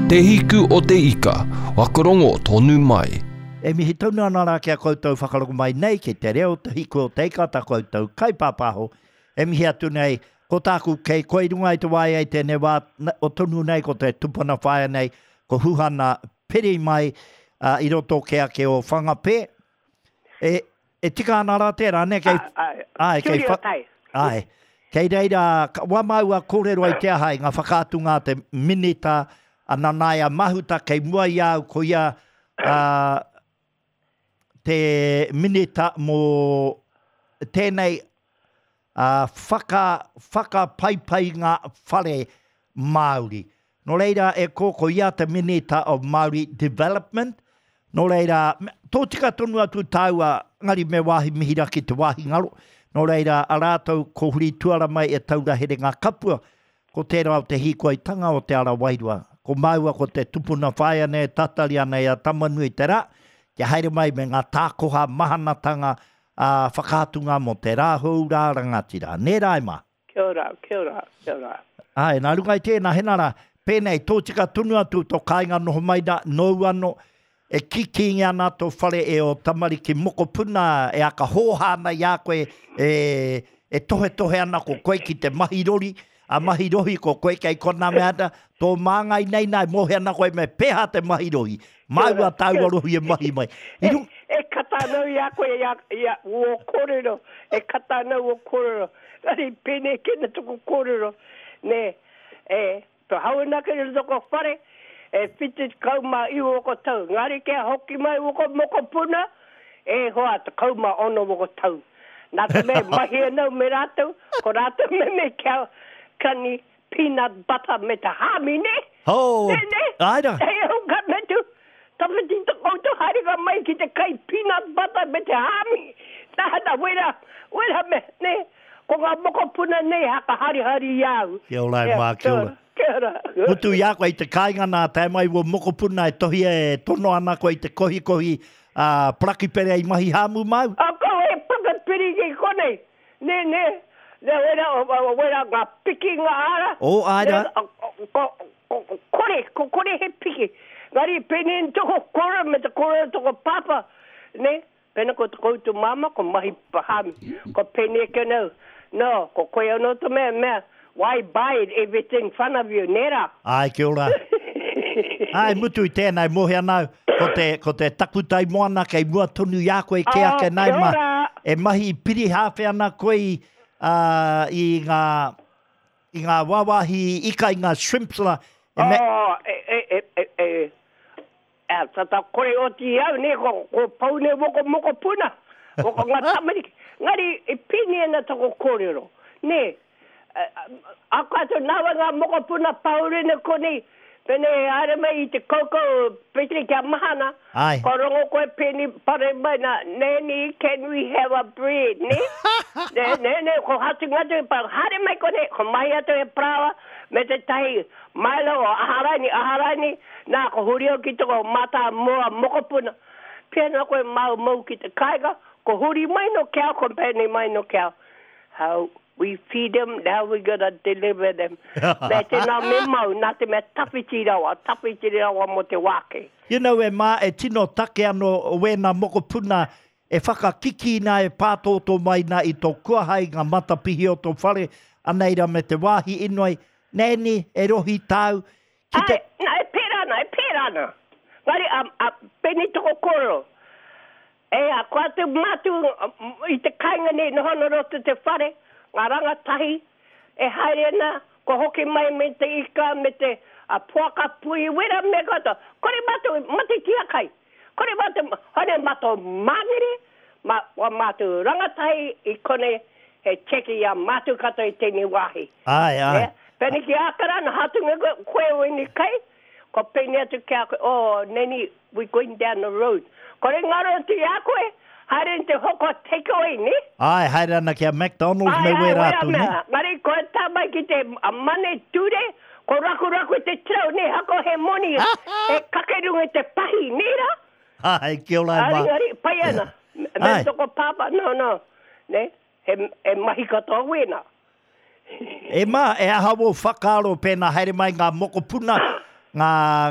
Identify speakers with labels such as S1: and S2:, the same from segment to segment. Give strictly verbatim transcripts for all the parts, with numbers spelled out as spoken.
S1: Te hiku o te ika, wakarongo tonu mai.
S2: E mihi tonu ana rā ki a koutou whakarongo mai nei ki te reo te hiku o te ika tā koutou kaipāpāho. E mihi atu nei, ko tāku kei koe i runga i te waea i tēnei wā o tonu nei ko te tupuna whaea nei, ko Huhana Peri mai uh, i roto ke ake o Whangapē. E, e tika ana rā tērā, ne? Kei,
S3: ai, kei, wha,
S2: ai, kei reira, wā māua kōrero ai te aha i ngā whakaatunga te minita a Nanaia Mahuta kei mua i au ko ia uh, te minita mō tēnei uh, whaka, whakapaipai ngā whare Māori. Nō reira e ko, ko ia te minita of Māori Development. Nō reira, tō tika tonu atu tāua, ngari me wāhi mihira ki te wāhi ngaro. Nō reira, a rātou ko huri tuara mai e taura here ngā kapua, ko tērā o te hīkoitanga o te ara wairua. Ko māua ko te tupuna whaea nei, tatari ana i a Tamanui te rā, kia haere mai me ngā tākoha mahanatanga a whakaatunga mō te rā hou rā rangatira. Nē rā e mā?
S3: Kia ora, kia ora, kia ora.
S2: Ai, nā runga i tēnā, hena rā, pēnei, tō tika tonu atu tō kāinga noho mai nā, nōu anō, e kikingi ana tō whare e o tamariki mokopuna, e aka hōha ana i a koe, e, e tohe tohe ana ko koe ki te mahi rori, a mahi rohi ko koe kei kona mea ana, tō māngai nei nā, e mōhe ana koe me peha te mahi rohi. Māua tāua rohi e mahi mai.
S3: I rung... E, e kata anau i a koe i a, i a o kōrero, e kata anau o kōrero. Ngari pēnei kena toko kōrero, ne, e, to hau ana ke toko whare, e whitu kau mā iwa o tau. Ngari kia hoki mai woko mokopuna, e hoa te kau mā ono woko tau. Nā te mea mahi anau me rātou, ko rātou me me kia kani peanut butter me te hāmi, ne?
S2: Oh,
S3: Ne, ne?
S2: ai rā.
S3: Hei au ka me tu, tawhiti te koutou haerenga mai ki te kai peanut butter me te hāmi. Nā, nā, wera, wera me, ne? Ko ngā mokopuna nei haka harihari i au.
S2: Kia ora e mā, kia ora.
S3: Kia ora.
S2: Mutu i a koe i te kāinga nā, tae mai o mokopuna e tohi e tono ana koe i te kohikohi uh, parakipere i mahi hāmu mau.
S3: A ko e parakipere ki konei. Ne, ne, ne, wera, wera ngā piki ngā ara.
S2: O, ai rā.
S3: Ne, ko, ko, ko, kore, ko kore he piki. Ngari pēnei toko kore me te kore toko papa. Ne, pēnei ko te koutou mama, ko mahi hāmi. Ko pēnei ke nau. No, ko koe anō te mea, mea, why buy it everything in front of you, nē rā?
S2: Ai, kia ora. Ai, mutu i tēnei, mōhe anau, ko te, ko te takutai moana kei mua tonu i a koe ke
S3: Oh,
S2: ake nei
S3: kia
S2: ma.
S3: ora.
S2: E mahi pirihāwhe ana koe i, uh, i ngā, i ngā wāwāhi ika, i ngā shrimps la. E me,
S3: Oh, e, e, e, e, e, e, tata kore oti au, ne, ko, ko pau ne woko mokopuna, woko ngā tamariki. Ngari, e pini ana toko kōrero, ne, a kātou nāwa ngā mokopuna paurene konei, pene e haere mai i te koukou petri kia mahana,
S2: Ai.
S3: ko rongo koe peni pare mai nā, Nanny, can we have a bread, ne? ne, ne, ne, ko hatu ngatu, pa haere mai konei, ko mahi atu e parawa, me te tahi, mailo o aharani, aharani, nā, ko huri au ki toko mata moa mokopuna. Pēnā koe mau mau ki te kāinga, ko huri mai no kia, ko pēnei mai no kia. How we feed them, now we gonna deliver them. Me te nā me mau, nā te mea tawhiti rawa, tawhiti rawa mo te wāke.
S2: You know, e mā, e tino take anō o wēnā mokopuna e whakakiki nā e pātōtō mai nā i tō kuahai ngā matapihi o tō whare, aneira me te wāhi inoi, nēni, e rohi tāu, ki te...
S3: Ai, nā, e pērā ana, e pērā ana. Ngari, a, a, pēnei toko kōrero. E, a kua te mātu i te kāinga nei, noho no roto te whare, ngā rangatahi, e haere ana, ko hoki mai me te ika, me te a puaka pui, wera me katoa. Kore mātou, mate tia kai. Kore mātou, hone mātou māngere, ma, wa mātou rangatahi i kone, he cheki i a mātou katoa i tēnei wāhi.
S2: Ai, ai.
S3: Ne? Pēnei ki Ākarana, hatunga koe, koe o ini kai, ko pēnei atu ki a koe, oh, neni, we going down the road. Kore ngaro atu i a koe, haere te hoko take away, ne?
S2: Ai, haere ana ki a McDonald's
S3: Ai,
S2: me
S3: ai,
S2: wera
S3: wera
S2: atu, ne?
S3: mea. Ngari koe tā mai ki te a mane ture, ko rakuraku te trau, ne, hako he moni, e kakerunga te pahi, ne rā?
S2: Ai, kia ora e
S3: Ari,
S2: mā.
S3: ari, pai ana. Me
S2: Ai.
S3: toko pāpā, no, no. Ne? He, he mahi katoa wēnā.
S2: E mā, e aha wō whakaaro pēnā haere mai ngā mokopuna, ngā,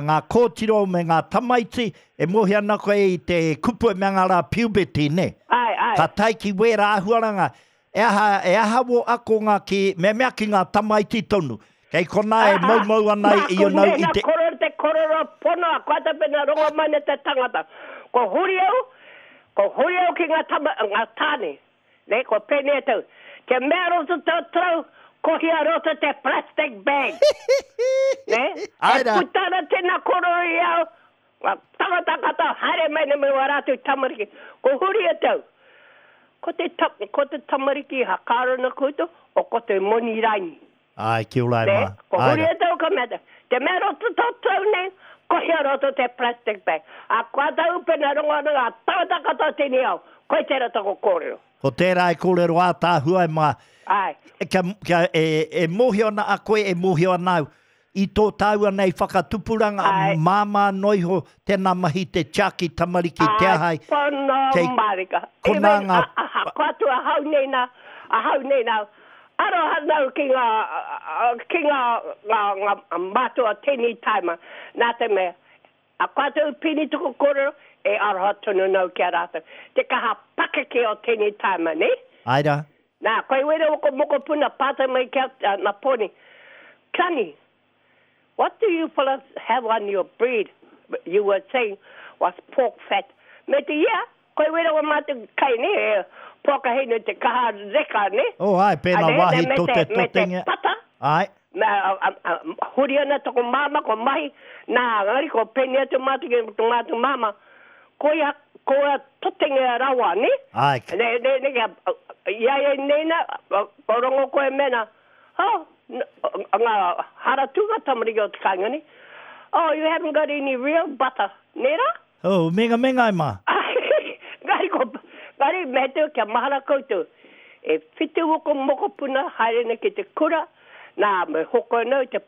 S2: ngā kōtiro me ngā tamaiti, e mohi ana koe i te kupu e mea ngā rā puberty, ne?
S3: Ai, ai.
S2: Ka tae ki wērā āhuaranga, e aha, e aha wō akonga ki, me mea ki ngā tamaiti tonu. Kei konā e maumau ana i
S3: Nā,
S2: onau i te...
S3: Nā, te kororo pono, a koe te pena rongo mai ne te tangata. Ko huri au, ko huri au ki ngā, tama, ngā tāne. Ne, ko pēnei atu. Te mea roto tō trau, kohia roto te plastic bag. Ne?
S2: Ai
S3: E
S2: rā.
S3: puta ana tēnā kororo i au, ngā tangata katoa, haere mai nei me wā rātou tamariki. Ko huri atu. Ko te, ta, ko te tamariki hakarana koutou, o ko te moni raini.
S2: Ai, kia ora e
S3: Ne?
S2: mā.
S3: Ko
S2: Ai
S3: huri
S2: rā.
S3: atu ka mea, te mea roto tō trau nei, kohia roto te plastic bag. A kua tau pena rongo ana ngā tangata katoa tēnei au, koe tērā toko kōrero.
S2: Ko tērā e kōrero ātāhua e mā.
S3: Ai.
S2: Kia, kia, e, e mōhio ana a koe, e mōhio ana au. I tō tāua nei whakatupuranga,
S3: Ai.
S2: māmā noiho, tēnā mahi te tiaki tamariki te ahai.
S3: Ai, pono
S2: Kei
S3: marika.
S2: konā
S3: Even,
S2: ngā-
S3: a- a- a- Ko atu ahau nei nā, ahau nei nā, aroha nau ki ngā, ki ngā, ngā, ngā mātua tēnei taima. Nā te mea, a ko atu pini tuku kōrero, e aroha tonu nau ki a rātou. Te kaha pakeke o tēnei taima, ne?
S2: Ai rā.
S3: Nā, koe wera o ko mokopuna pātai mai kia uh, nā poni. Kani, what do you fellas have on your bread? You were saying was pork fat. Me te ia, koe wera o mātou kai ne, e, pork hinu te kaha reka ne.
S2: Oh, ai, pēnā
S3: A ne,
S2: wāhi
S3: me
S2: tō
S3: te-
S2: te
S3: Me te
S2: totenge.
S3: pata,
S2: Ai.
S3: me, a, a, a, huri ana toko māma, ko mahi, nā, ngari ko peni atu mātou ki tō mātou māma, koia, koia totenge rawa, ne?
S2: Ai.
S3: Ne, ne, ne, kia, ia e nena, ko rongo koe mena, oh, ngā haratunga tamariki o te kāinga ni, oh, you haven't got any real butter, ne rā?
S2: Oh, menga menga e mā.
S3: Ngari ko, ngari me te kia mahara koutou, e whitu oko mokopuna haere nei ki te kura, nā, me hoko nau te,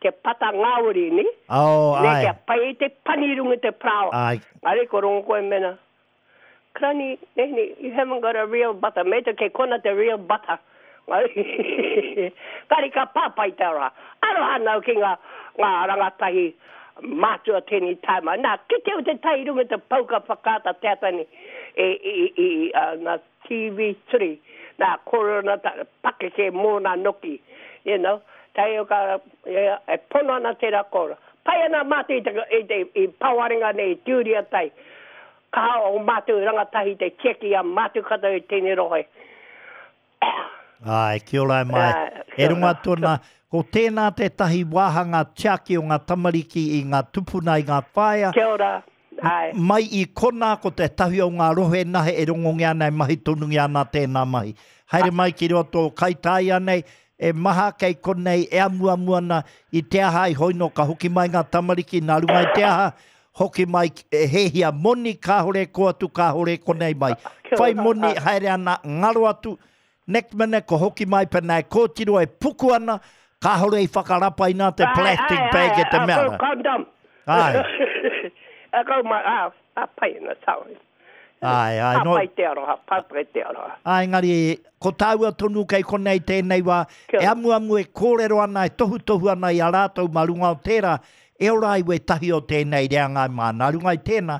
S3: te pata ngāwari ni,
S2: Oh,
S3: ne
S2: ai.
S3: kia pai i te panirunga te prawa.
S2: Ai.
S3: Ngari ko rongo koe mena, Granny, nene, you haven't got a real butter. Me te ke kona te real butter. Ngari ngari ka pāpai te rā. Aroha nau ki ngā, ngā rangatahi mātua tēnei taima. Nā, ki te o te tai runga te pauka whakaata te atani e, i, i, uh, nā T V three. Nā, korona ta, pakeke mōna noki. You know, tai o ka, e, e pono ana tērā kōrero. Pai ana mātou i te, i te i pawarenga nei, i tūria tai. Kaha o mātou rangatahi te tieki a mātou katoa i tēnei rohe.
S2: Ai, kia ora e mai.
S3: Ai,
S2: E
S3: kia
S2: runga
S3: ora.
S2: tōna, ko tēnā tētahi wāhanga tiaki o ngā tamariki i ngā tupuna i ngā whaea.
S3: Kia ora. Ai.
S2: Mai i kona ko te tahi o ngā rohe nahe e rongongia ana e mahi tonungia ana tēnā mahi. Haere mai ki roto o Kaitaia nei, e maha kei konei e amuamu ana i te aha i hoino ka hoki mai ngā tamariki nā runga i te aha, hoki mai e hehia moni kāhore ko atu kāhore konei mai.
S3: Kia
S2: Whai
S3: ora.
S2: moni haere ana ngaro atu, next minute ko hoki mai pena e kōtiro e puku ana, kāhore i whakarapaina te
S3: Ai,
S2: plastic
S3: ai,
S2: bag
S3: ai,
S2: e te
S3: ai,
S2: mea.
S3: ko Condom.
S2: Ai.
S3: A kau mai, a, a pai ana, sorry.
S2: Ai, ai,
S3: A
S2: no.
S3: pai te aroha, pai pai te aroha.
S2: Ai, engari, ko tāua tonu kei konei tēnei wā,
S3: Kia
S2: e
S3: ora.
S2: amuamu e kōrero ana, e tohutohu ana i a rātou mā runga o tērā, e ora ai wētahi o tēnei reanga mā. Nā runga i tēnā,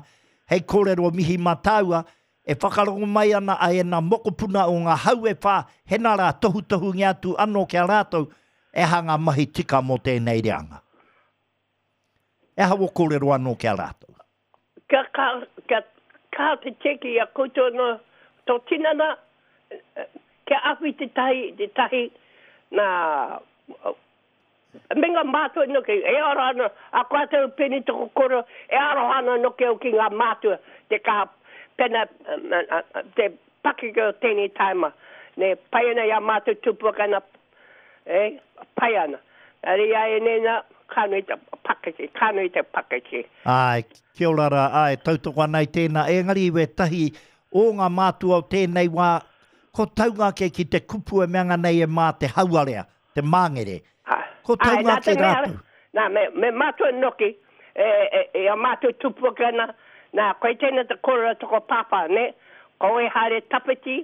S2: hei kōrero mihi mā tāua, e whakarongo mai ana a ena mokopuna o ngā hau e whā, hena rā tohutohu ngi atu anō ki a rātou, e hanga mahi tika mō tēnei reanga. E aha o kōrero anō ki a rātou.
S3: Kia ka, kia ka te tieki a koutou no tō tinana, eh, kia awhi te tahi, te tahi, nā, me ngā mātua noki, e aroha ana, a koe tau peni toko koro, e aroha ana noki au ki ngā mātua, te kaha pena, eh, eh, te pakeke o tēnei taima. Ne, pai ana i a mātou tupuaka ana, e, pai ana. Ari ai e nena, ka nui te pakeke, ka nui te pakeke.
S2: Ai, kia ora rā, ai, tautoko ana i tēnā. Engari wētahi o ngā mātua o tēnei wā, ko taunga ke ki te kupu e meanga nei e mā te hauarea, te māngere.
S3: Ha.
S2: Ko
S3: Ai,
S2: taunga
S3: nā te
S2: ke
S3: mea,
S2: rātou.
S3: Nā, me, me mātua noki, e, e, e a mātou tupuaka ana, nā, koe tēnā te kōrero toko pāpā, ne? Ko e haere tapeti,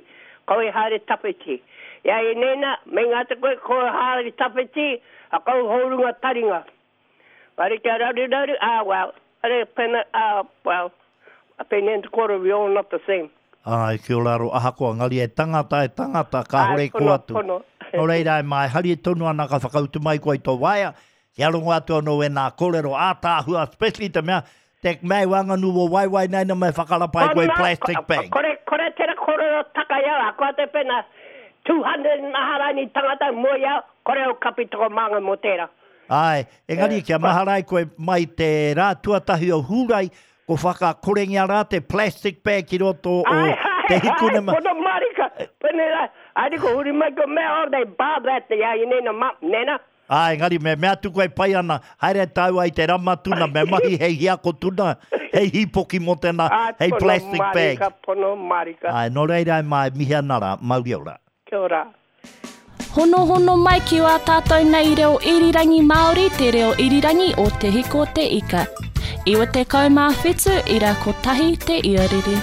S3: ko e haere tapeti. Ia i nena, me ngā te koe ko haere tawhiti, a kau hourunga taringa. Wari kia raru raru, ah, well, are pena, ah, well, a pene and quarter, we all not the same.
S2: Ai, ki o raro, ahakoa, ngari e tangata, e tangata, kāhore
S3: Ai,
S2: ko
S3: pono,
S2: atu.
S3: pono.
S2: Nō reira, e mai, hari e tonu ana ka whakautu mai koe i tō waea, kia rongo atu anō e nā kōrero ātāhua, especially te mea, te mea wanganu o waiwai nei na me whakarapa i koe
S3: Kona,
S2: plastic
S3: ko-
S2: bag.
S3: Kore, kore tera kōrero taka iau, a koa te pena, two hundred naharani tangata mo iau, kore o kapi toko manga mo tera.
S2: Ai, engari
S3: Eh,
S2: kia maharai koe mai te rā tuatahi o Hūrai, ko whakakorengia rā te plastic bag ki roto o
S3: Ai,
S2: te
S3: ai, ai,
S2: hikune ma.
S3: pono marika. Pene la, ai ko huri mai ko mea, oh, they bar that, ia i nena, ma, nena.
S2: Ai, engari me mea atu koe pai ana, haere tāua i te rama tuna, me mahi hei hiako tuna, hei hipoki mō tēnā,
S3: Ai,
S2: hei
S3: pono
S2: plastic bag.
S3: marika, pono marika.
S2: Ai, nō reira e mai mihi ana rā, mauri ora.
S3: Kia ora.
S4: Honohono mai ki wā tātou nei reo irirangi Māori, te reo irirangi o Te Hiko Te Ika. Iwa te kau mā whitu, ira kotahi te iarere.